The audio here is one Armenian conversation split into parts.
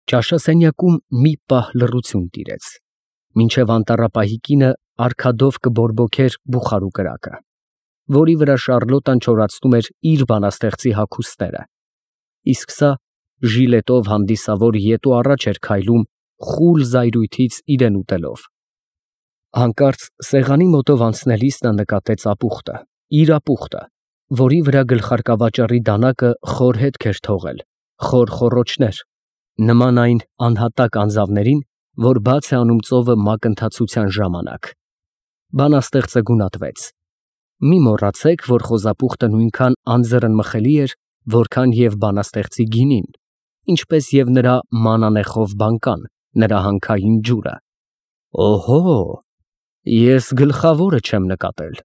Ճաշասենյակում մի պահ լռություն տիրեց, մինչև անտառապահի կինը արգադով կբորբոքեր բուխարու կրակը, որի վրա Շառլոտան չորացնում էր իր բանաստեղծի հագուստները, իսկ սա ժիլետով հանդիսավոր ետ ու առաջ էր քայլում խուլ զայրույթից իրեն ուտելով։ Հանկարծ սեղանի մոտով անցնելիս նա նկատեց ապուխտը, իր ապուխտը, որի վրա գլխարկավաճառի դանակը խոր հետք էր թողել, խոր խոռոչներ, նման այն անհատակ անձավներին, որ բաց է անում ծովը մակընթացության ժամանակ։ Բանաստեղծը գունատվեց. մի մոռացեք, որ խոզապուխտը նույնքան անձեռնմխելի էր, որքան և բանաստեղծի գինին, ինչպես և նրա մանանեխով բանկան, նրա հանքային ջուրը։ Օհո, ես գլխավորը չեմ նկատել։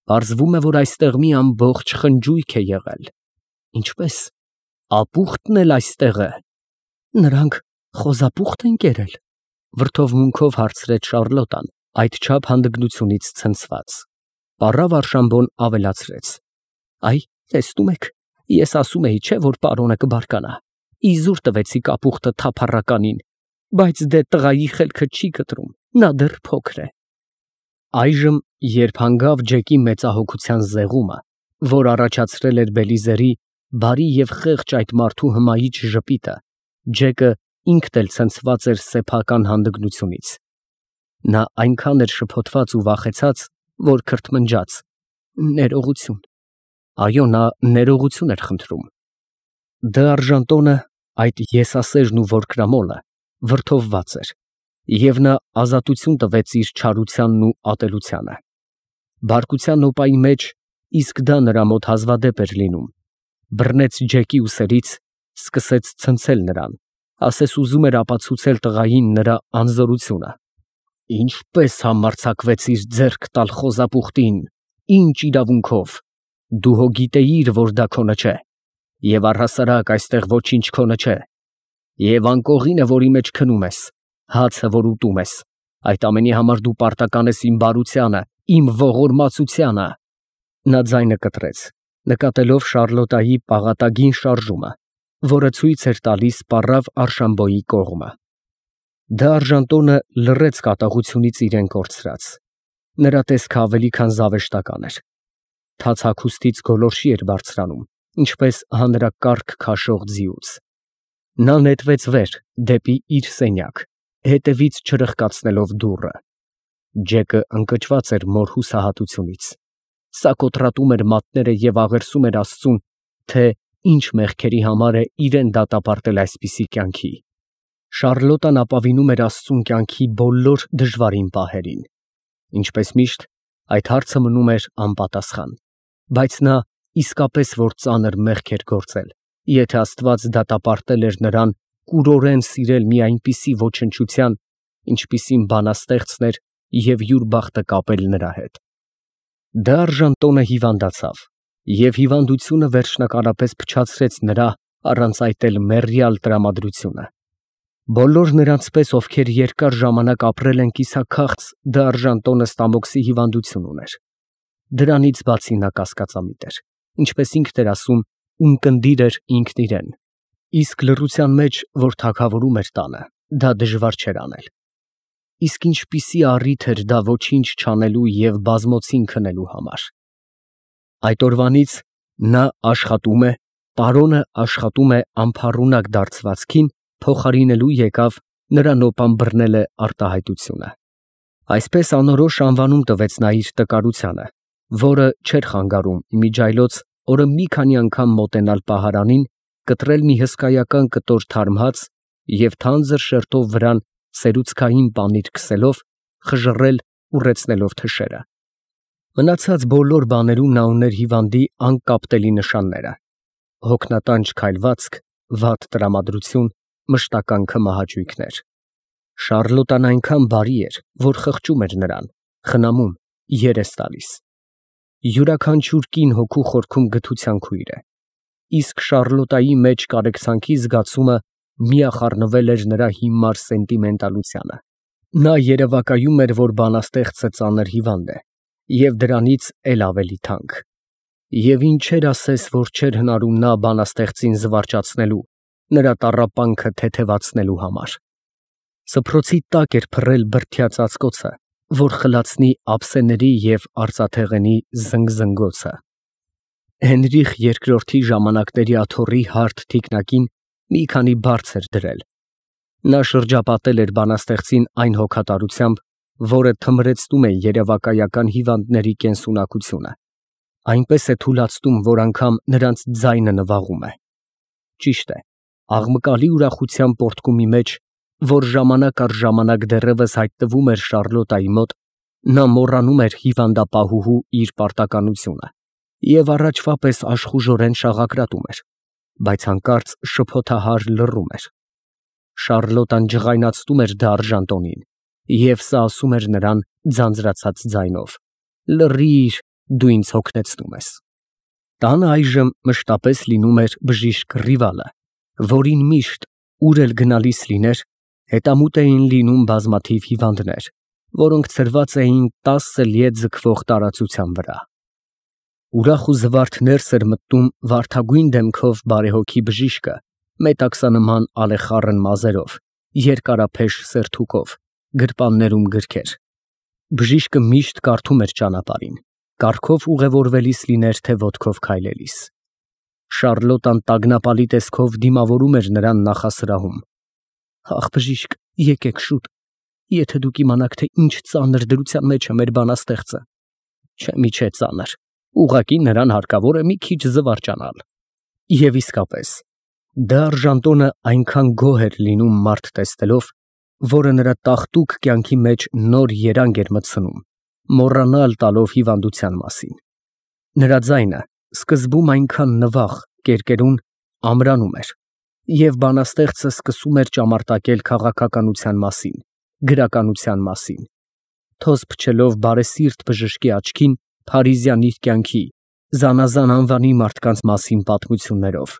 Պարզվում է, որ այստեղ մի ամբողջ խնջույք է եղել։ Ինչպե՞ս, ապուխտն էլ այստեղ է։ Նրանք խոզապուխտ են կերել, վրդովմունքով հարցրեց Շառլոտան, այդչափ հանդգնությունից ցնցված։ Պառավ Արշամբոն ավելացրեց. Այ, տեսնում եք, ես ասում էի, չէ, որ պարոնը կբարկանա։ Իզուր տվեցիք ապուխտը թափառականին, բայց դե տղայի խելքը չի կտրում, նա դեռ փոքր է։ Այժմ, երբ հանգավ Ջեկի մեծահոգության զեղումը, որ առաջացրել էր Բելիզերի բարի և խեղճ այդ մարդու հմայիչ ժպիտը, Ջեկը ինքն էլ ցնցված էր սեփական հանդգնությունից։ Նա այնքան էր շփոթված ու վախեցած, որ քրթմնջաց. ներողություն։ Այո, նա ներողություն էր խնդրում։ Դ'Արժանտոնը, այդ եսասերն ու որկրամոլը, վրդովված էր, և նա ազատություն տվեց իր չարությանն ու ատելությանը։ Բարկության օպայի մեջ իսկ դա նրա մոտ հազվադեպ էր լինում։ Բռնեց Ջեկի ուսերից, սկսեց ցնցել նրան, ասես ուզում էր ապացուցել տղային նրա անզորությունը։ Ինչպես համարձակվեցիր ձեռք տալ խոզապուխտին, ինչ իրավունքով։ Դու հո գիտեիր, որ դա քոնը չէ, և առհասարակ այստեղ ոչինչ քոնը չէ, և անկողինը, որի մեջ քնում ես, հացը, որ ուտում ես, այդ ամենի համար դու պարտական ես իմ բարությանը, իմ ողորմածությանը։ Նա ձայնը կտրեց, նկատելով Շառլոտայի պաղատագին շարժումը, որը ցույց էր տալիս պառավ Արշամբոյի կողմը։ Դ'Արժանտոնը լռեց կատաղությունից իրեն կորցրած։ Նրա տեսքը ավելի քան զավեշտական էր։ Թաց հագուստից գոլորշի էր բարձրանում, ինչպես հանրակառք քաշող ձիուց։ Նա նետվեց վեր, դեպի իր սենյակ, հետևից չրխկացնելով դուռը։ Ջեկը ընկճված էր մոր հուսահատությունից։ Սա կոտրատում էր մատները և աղերսում էր Աստծուն, թե ինչ մեղքերի համար է իրեն դատապարտել այսպիսի կյանքի։ Շառլոտան ապավինում էր Աստծուն կյանքի բոլոր դժվարին պահերին։ Ինչպես միշտ, այդ հարցը մնում էր անպատասխան, բայց նա իսկապես որ ծանր մեղք էր գործել, եթե Աստված դատապարտել էր նրան կուրորեն սիրել մի այնպիսի ոչնչության, ինչպիսին բանաստեղծն էր և յուր բախտը կապել նրա հետ։ Դ'Արժանտոնը հիվանդացավ, և հիվանդությունը վերջնակալապես փչացրեց նրա առանց այդ էլ մեռյալ տրամադրությունը։ Բոլոր նրանց պես, ովքեր երկար ժամանակ ապրել են կիսաքաղց, Դ'Արժանտոնը ստամոքսի հիվանդություն ուներ։ Դրանից բացի նա կասկածամիտ էր, ինչպես ինքն էր ասում, ունկնդիր էր ինքն իրեն։ Իսկ լռության մեջ, որ թագավորում էր տանը, դա դժվար չէր անել։ Իսկ ինչպիսի առիթ էր դա ոչինչ չանելու և բազմոցին քնելու համար։ Այդ օրվանից նա աշխատում է, պարոնը աշխատում է անփառունակ դարձվածքին փոխարինելու եկավ նրա նոպան բռնել է արտահայտությունը։ Այսպես անորոշ անվանում տվեց նա իր տկարությանը, որը չէր խանգարում իմիջիայլոց օրը մի քանի անգամ մոտենալ պահարանին, կտրել մի հսկայական կտոր թարմ հաց և թանձր շերտով վրան սերուցքային պանիր քսելով, խժռել ուռեցնելով թշերը։ Մնացած բոլոր բաներում նա ուներ հիվանդի անկապտելի նշանները՝ հոգնատանջ քայլվածք, վատ տրամադրություն, մշտական քմահաճույքներ։ Շառլոտան այնքան բարի էր, որ խղճում էր նրան, խնամում, երես տալիս։ Յուրաքանչյուր կին հոգու խորքում գթության քույր է, իսկ Շառլոտայի մեջ կարեկցանքի զգացումը միախառնվել էր նրա հիմար սենտիմենտալությանը։ Նա երևակայում էր, որ բանաստեղծը ծանր հիվանդ է, և դրանից էլ ավելի թանկ։ Եվ ինչեր ասես, որ չէր հնարում նա բանաստեղծին զվարճացնելու, նրա տառապանքը թեթևացնելու համար։ Սփռոցի տակ էր փռել բրդյա ծածկոցը, որ խլացնի ափսեների և արծաթեղենի զնգզնգոցը։ Հենրիխ II ժամանակների աթոռի հարթ թիկնակին մի քանի բարձ էր դրել։ Նա շրջապատել էր բանաստեղծին այն հոգատարությամբ, որը թմրեցնում է երևակայական հիվանդների կենսունակությունը, այնպես է թուլացնում, որ անգամ նրանց ձայնը նվաղում է։ Ճիշտ է, աղմկալի ուրախության պոռթկումի մեջ, որ ժամանակ առ ժամանակ դեռևս հայտնվում էր Շառլոտայի մոտ, նա մոռանում էր հիվանդապահուհու իր պարտականությունը և առաջվա պես աշխուժորեն շաղակրատում էր, բայց հանկարծ շփոթահար լռում էր։ Շառլոտան ջղայնացնում էր դարժան տոնին, և սա ասում էր նրան ձանձրացած ձայնով. «Լռիր, դու ինձ հոգնեցնում ես»։ Տանը այժմ մշտապես լինում էր բժիշկ Ռիվալը, որին միշտ, ուր էլ գնալիս լիներ, հետամուտ էին լինում բազմաթիվ հիվանդներ, որոնք ցրված էին 10 լիե ձգվող տարածության վրա։ Ուրախ ու զվարթ ներս էր մտնում վարդագույն դեմքով բարեհոգի բժիշկը, մետաքսանման ալեխառն մազերով, երկարափեշ սերթուկով, գրպաններում գրքեր։ Բժիշկը միշտ կարդում էր ճանապարհին, կառքով ուղևորվելիս լիներ, թե ոտքով քայլելիս։ Շառլոտան տագնապալի տեսքով դիմավորում էր նրան նախասրահում։ «Ախ, բժիշկ, եկեք շուտ, եթե դուք իմանաք, թե ինչ ծանր դրության մեջ է մեր բանաստեղծը»։ Չէ, մի չէ ծանր, ուղղակի նրան հարկավոր է մի քիչ զվարճանալ։ Եվ իսկապես, դարժան տոնը այնքան գոհ էր լինում մարդ տեսնելով, որը նրա տաղտուկ կյանքի մեջ նոր երանգ էր մտցնում, մոռանալ տալով հիվանդության մասին։ Նրա ձայնը սկզբում այնքան նվաղ, կերկերուն, ամրանում էր, և բանաստեղծը սկսում էր ճամարտակել քաղաքականության մասին, գրականության մասին, թոզ փչելով բարեսիրտ բժշկի աչքին փարիզյան իր կյանքի, զանազան անվանի մարդկանց մասին պատմություններով,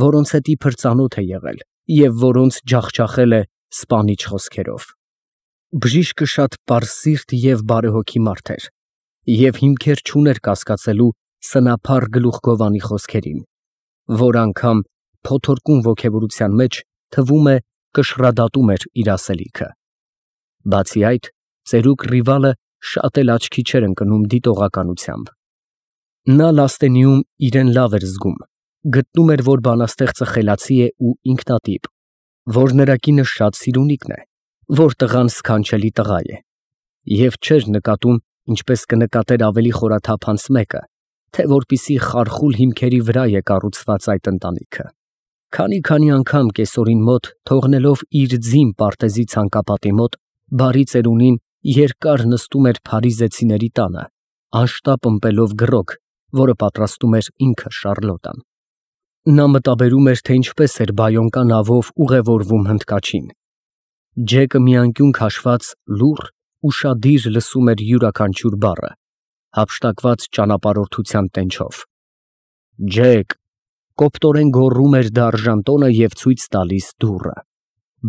որոնց հետ իբր ծանոթ է եղել և որոնց ջախջախել է սպանիչ խոսքերով։ Բժիշկը շատ պարզսիրտ և բարեհոգի մարդ էր և հիմքեր չուներ կասկածելու սնափառ գլուխգովանի խոսքերին, որ անգամ փոթորկուն ոգևորության մեջ, թվում է, կշռադատում էր իր ասելիքը։ Բացի այդ, ծերուկ Ռիվալը շատ էլ աչքի չէր ընկնում դիտողականությամբ։ Նա Լաստենիում իրեն լավ էր զգում, գտնում էր, որ բանաստեղծը խելացի է ու ինքնատիպ, որ նրա կինը շատ սիրունիկն է, որ տղան սքանչելի տղա է, և չէր նկատում, ինչպես կնկատեր ավելի խորաթափանց մեկը, թե որպիսի խարխուլ հիմքերի վրա է կառուցված այդ ընտանիքը։ Քանի անգամ կեսօրին մոտ, թողնելով իր ձին պարտեզի ցանկապատի մոտ, բարի ծերունին երկար նստում էր փարիզեցիների տանը, անշտապ ըմպելով գրոկ, որը պատրաստում էր ինքը Շառլոտան։ Նա մտաբերում էր, թե ինչպես էր բայոնկա նավով ուղևորվում հնդկաչին։ Ջեկը մի անկյուն քաշված լուռ, ուշադիր լսում էր յուրաքանչյուր բառը, հափշտակված ճանապարհորդության տենչով։ «Ջեք», կոպտորեն գոռում էր դարժան տոնը և ցույց տալիս դուռը,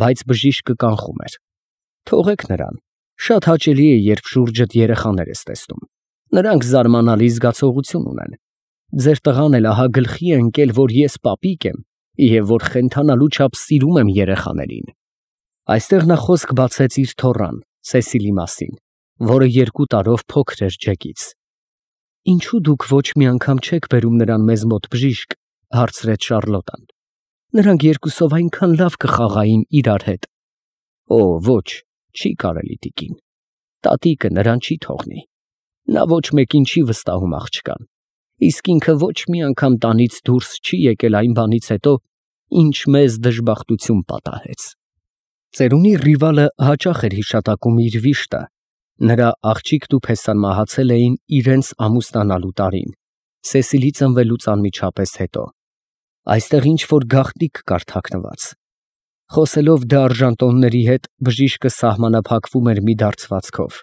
բայց բժիշկը կանխում էր։ Թողեք նրան, շատ հաճելի է, երբ շուրջդ երեխաներ ես տեսնում, նրանք զարմանալի զգացողություն ունեն։ Ձեր տղան էլ ահա գլխի է ընկել, որ ես պապիկ եմ և որ խենթանալու չափ սիրում եմ երեխաներին։ Այստեղ նա խոսք բացեց իր թոռան, Սեսիլի մասին, որը 2 տարով փոքր էր Ջեկից։ «Ինչո՞ւ դուք ոչ մի անգամ չեք բերում նրան մեզ մոտ, բժիշկ», հարցրեց Շառլոտան։ «Նրանք երկուսով այնքան լավ կխաղային իրար հետ»։ «Օ, ոչ, չի կարելի, տիկին, տատիկը նրան չի թողնի։ Նա ոչ մեկին չի վստահում աղջկան, իսկ ինքը ոչ մի անգամ տանից դուրս չի եկել այն բանից հետո, ինչ մեզ դժբախտություն պատահեց»։ Ծերունի Ռիվալը հաճախ էր հիշատակում իր վիշտը, նրա աղջիկն ու փեսան մահացել էին իրենց ամուսնանալու տարին, Սեսիլի ծնվելուց անմիջապես հետո։ Այստեղ ինչ֊որ գաղտնիք կար թաքնված։ Խոսելով դարժան տոնների հետ, բժիշկը սահմանափակվում էր մի դարձվածքով.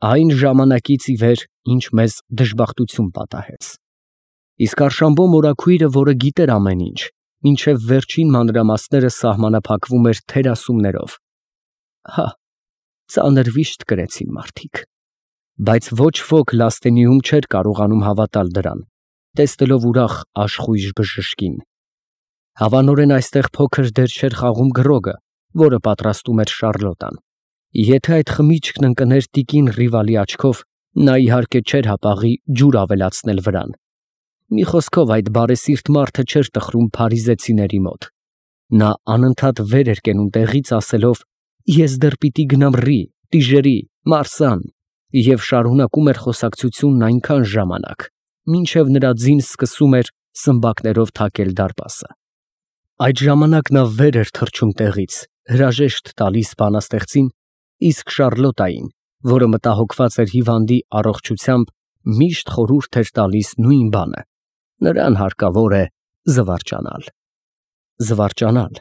այն ժամանակից ի վեր, ինչ մեզ դժբախտություն պատահեց։ Իսկ Արշամբո մորաքույրը, որը գիտեր ամեն ինչ, մինչև վերջին մանրամասները սահմանափակվում էր թերասումներով։ Հա, ծանր վիշտ կրեցին մարդիկ։ Բայց ոչ ոք Լաստենիում չէր կարողանում հավատալ դրան, տեսնելով ուրախ աշխույժ բժշկին։ Հավանորեն այստեղ փոքր դեր չէր խաղում գրոգը, որը պատրաստում էր Շարլոտան։ Եթե այդ խմիչքն ընկներ տիկին Ռիվալի աչքով, նա իհարկե չէր հապաղի ջուր ավելացնել վրան։ Մի խոսքով այդ բարեսիրտ մարդը չէր տխրում փարիզեցիների մոտ։ Նա անընդհատ վեր էր կենում տեղից ասելով. «Ես դեռ պիտի գնամ Ռի, Տիժերի, Մարսան», և շարունակում էր խոսակցությունն այնքան ժամանակ, մինչև նրա ձին սկսում էր սմբակներով թակել դարպասը։ Այդ ժամանակ նա վեր էր թռչում տեղից, հրաժեշտ տալիս բանաստեղծին, իսկ Շարլոտային, որը մտահոգված էր հիվանդի առողջությամբ, միշտ խորհուրդ էր տալիս նույն բանը. նրան հարկավոր է զվարճանալ։ Զվարճանալ։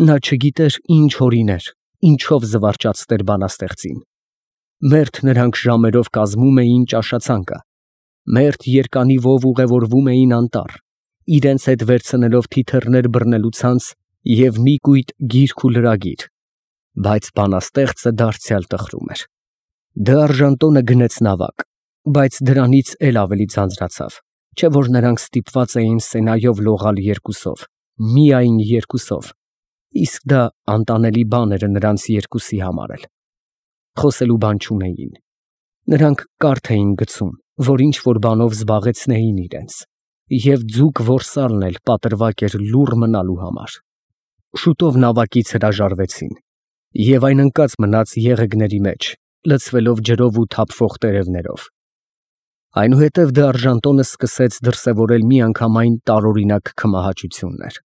Նա չգիտեր ինչ օրիներ, ինչով զվարճացներ բանաստեղծին։ Մերթ նրանք ժամերով կազմում էին ճաշացանկը, մերթ երկանիվով ուղևորվում էին անտառ, իրենց հետ վերցնելով թիթեռներ բռնելու ցանց և մի կույտ գիրք ու լրագիր, բայց բանաստեղծը դարձյալ տխրում էր։ Դ'Արժանտոնը գնեց նավակ, բայց դրանից էլ ավելի ձանձրացավ, չէ որ նրանք ստիպված էին Սենայով լողալ երկուսով, միայն երկուսով, իսկ դա անտանելի բան էր նրանց երկուսի համար էլ։ Խոսելու բան չունեին։ Նրանք կարթ էին գցում, որ ինչ-որ բանով զբաղեցնեին իրենց, և ձուկ որսալն էլ պատրվակ էր լուռ մնալու համար։ Շուտով նավակից հրաժարվեցին, և այն ընկած մնաց եղեգների մեջ, լցվելով ջրով ու թափվող տերևներով։ Այնուհետև Դ'Արժանտոնը սկսեց դրսևորել միանգամայն տարօրինակ քմահաճություններ։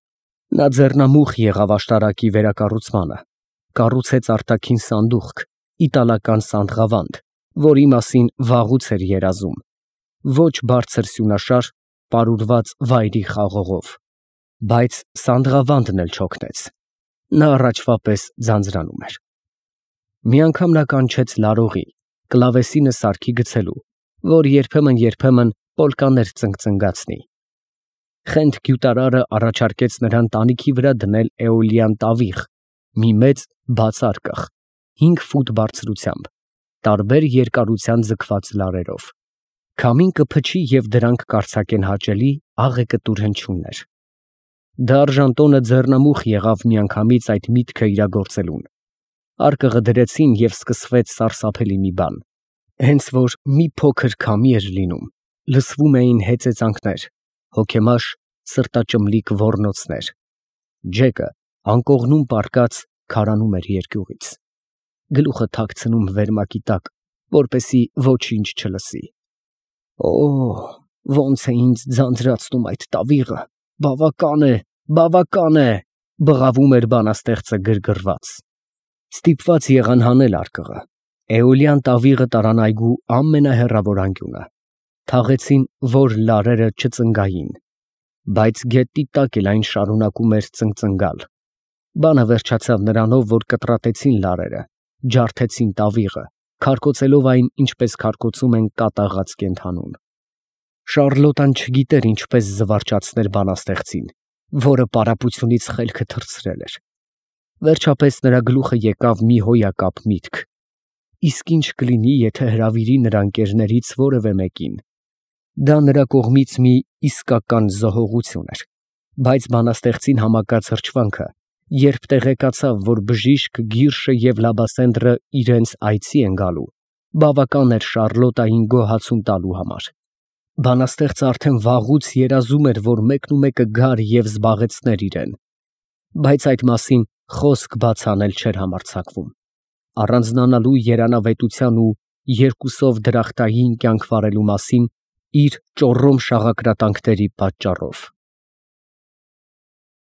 Նա ձեռնամուխ եղավ աշտարակի վերակառուցմանը, կառուցեց արտաքին սանդուղք, իտալական սանդղավանդ, որի մասին վաղուց էր երազում, ոչ բարձր սյունաշար, պարուրված վայրի խաղողով, բայց սանդղավանդն էլ չօգնեց։ Նա առաջվա պես ձանձրանում էր։ Մի անգամ նա կանչեց լարողի, կլավեսինը սարքի գցելու, որ երբեմն պոլկաներ ծնգծնգացնի։ Խենթ գյուտարարը առաջարկեց նրան տանիքի վրա դնել էոլյան տավիղ, մի մեծ բաց արկղ, 5 ֆուտ բարձրությամբ, տարբեր երկարության ձգված լարերով։ Քամին կփչի և դրանք կարձակեն հաճելի աղեկտուր հնչյուններ։ Դ'Արժանտոնը ձեռնամուխ եղավ միանգամից այդ միտքը իրագործելուն։ Արկղը դրեցին և սկսվեց սարսափելի մի բան։ Հենց որ մի փոքր քամի էր լինում, լսվում էին հեծեծանքներ, հոգեմաշ սրտաճմլիկ ոռնոցներ։ Ջեկը անկողնում պառկած քարանում էր երկյուղից, գլուխը թաքցնում վերմակի տակ, որպեսզի ոչինչ չլսի։ Օ, ոնց է ինձ ձանձրացնում այդ տավիղը, բավական է, բղավում էր բանաստեղծը գրգռված։ Ստիպված եղան հանել արկղը։ Էոլյան տավիղը տարան այգու ամենահեռավոր անկյունը։ Թաղեցին, որ լարերը չծնգային, բայց գետի տակ էլ այն շարունակում էր ծնգծնգալ։ Բանը վերջացավ նրանով, որ կտրատեցին լարերը, ջարդեցին տավիղը, քարկոծելով այն, ինչպես քարկոծում են կատաղած կենդանուն։ Շարլոտան չգիտեր ինչպես զվարճացներ բանաստեղծին, որը պարապությունից խելքը թռցրել էր։ Վերջապես նրա գլուխը եկավ մի հոյակապ միտք. իսկ ինչ կլինի, եթե հրավիրի նրա ընկերներից որևէ մեկին։ Դա նրա կողմից մի իսկական զոհողություն էր, բայց բանաստեղծին համակած հրճվանքը, երբ տեղեկացավ, որ բժիշկ Գիրշը և Լաբասենդրը իրենց այցի են գալու, բավական էր Շարլոտային գոհացում տալու համար։ Բանաստեղծը արդեն վաղուց երազում էր, որ մեկնումեկը գար և զբաղեցներ իրեն, բայց այդ մասին խոսք բաց անել չէր համարձակվում, առանձնանալու երանավետության ու երկուսով դրախտային կյանք վարելու մասին իր ճոռոմ շաղակրատանքների պատճառով։